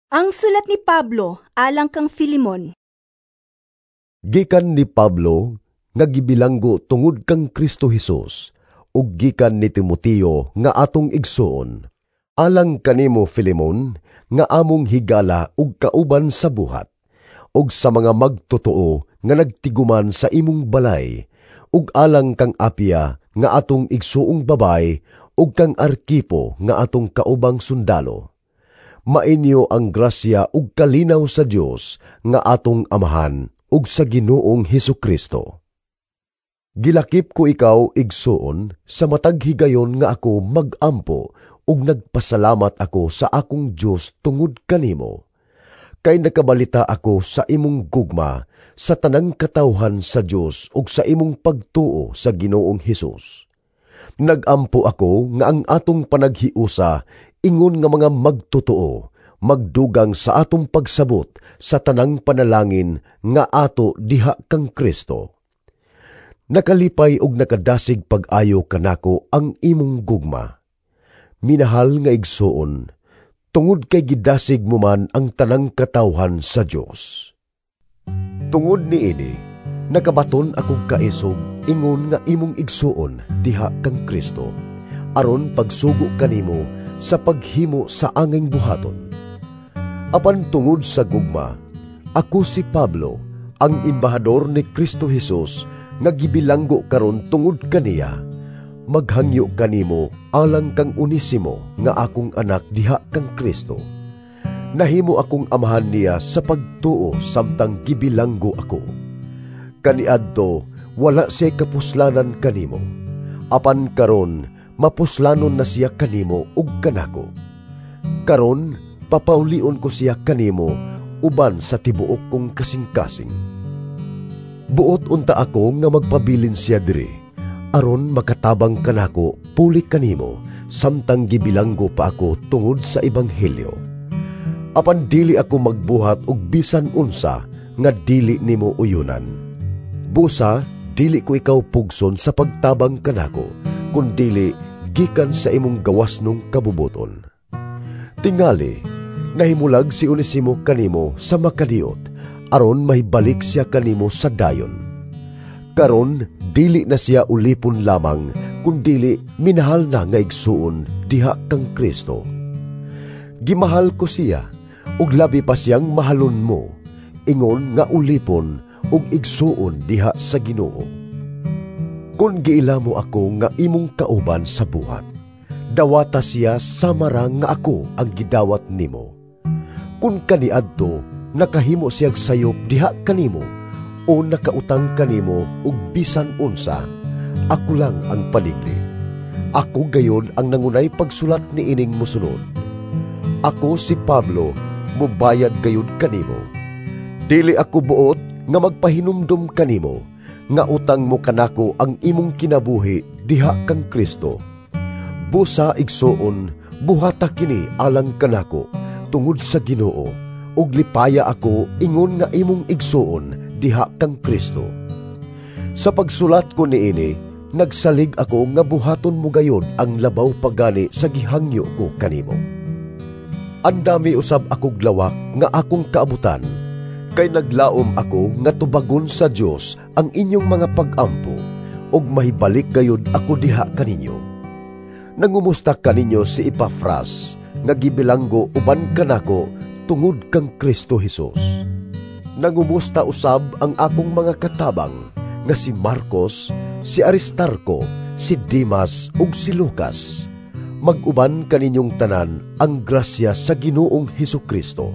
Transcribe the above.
Ang sulat ni Pablo alang kang Filemon. Gikan ni Pablo nga gibilanggo tungod kang Kristo Hesus ug gikan ni Timoteo nga atong igsoon, alang kanimo Filemon nga among higala ug kauban sa buhat, ug sa mga magtotoo nga nagtiguman sa imong balay, ug alang kang Apia nga atong igsuong babay ug kang Arkipo nga atong kaubang sundalo. Mainyo ang grasya ug kalinaw sa Dios nga atong Amahan ug sa Ginoong Hesukristo. Gilakip ko ikaw, igsoon, sa matag higayon nga ako magampo ug nagpasalamat ako sa akong Dios tungod kanimo. Kay nakabalita ako sa imong gugma sa tanang katawhan sa Dios ug sa imong pagtuo sa Ginoong Hesus. Nagampo ako nga ang atong panaghiusa ingon nga mga magtotoo, magdugang sa atong pagsabot sa tanang panalangin nga ato diha kang Kristo. Nakalipay og nakadasig pag-ayo kanako ang imong gugma. Minahal nga igsoon, tungod kay gidasig mo man ang tanang katawhan sa Dios. Tungod niini, nakabaton akog kaisog ingon nga imong igsoon diha kang Kristo, aron pagsugo kanimo sa paghimo sa anging buhaton. Apan tungod sa gugma, ako si Pablo, ang embahador ni Kristo Hesus nga gibilanggo karon tungod kaniya, maghangyo kanimo alang kang Onesimo nga akong anak diha kang Kristo. Nahimo akong amahan niya sa pagtuo samtang gibilanggo ako. Kaniadto wala siya kapuslanan kanimo, apan karon mapuslanon na siya kanimo ug kanako. Karon papaulion ko siya kanimo uban sa tibuok kong kasing-kasing. Buot unta ako nga magpabilin siya diri, aron makatabang kanako puli kanimo samtang gibilanggo pa ako tungod sa ebanghelyo. Apan dili ako magbuhat og bisan unsa nga dili nimo uyunan. Busa dili ko ikaw pugson sa pagtabang kanako, kundili gikan sa imong gawasnong kabubuton. Tingali, nahimulag si Onesimo kanimo sa makadiot, aron mahibalik siya kanimo sa dayon. Karon dili na siya ulipon lamang, kundili minahal na nga igsuon diha kang Kristo. Gimahal ko siya, ug labi pa siyang mahalon mo, ingon nga ulipon ug igsuon diha sa Ginoo. Kun giila mo ako nga imong kauban sa buhat, dawata siya samara nga ako ang gidawat nimo. Kun kaniadto nakahimo siyag sayop diha kanimo o nakautang kanimo og bisan unsa, ako lang ang panigli. Ako gayon ang nangunay pagsulat niining mosunod. Ako si Pablo, mubayad gayud kanimo. Dili ako buot nga magpahinumdum kanimo nga utang mo kanako ang imong kinabuhi diha kang Kristo. Busa igsoon, buhata kini alang kanako tungod sa Ginoo, ug lipaya ako ingon nga imong igsoon diha kang Kristo. Sa pagsulat ko niini, nagsalig ako nga buhaton mo gayod ang labaw pagani sa gihangyo ko kanimo. Andami usab akog lawak nga akong kaabutan, kay naglaom ako nga tubagon sa Dios ang inyong mga pag-ampo, ug mahibalik gayud ako diha kaninyo. Nangumusta kaninyo si Epafras nga gibilanggo uban kanako tungod kang Kristo Hesus. Nangumusta usab ang akong mga katabang nga si Marcos, si Aristarco, si Dimas ug si Lucas. Mag-uban kaninyong tanan ang grasya sa Ginoong Hesukristo.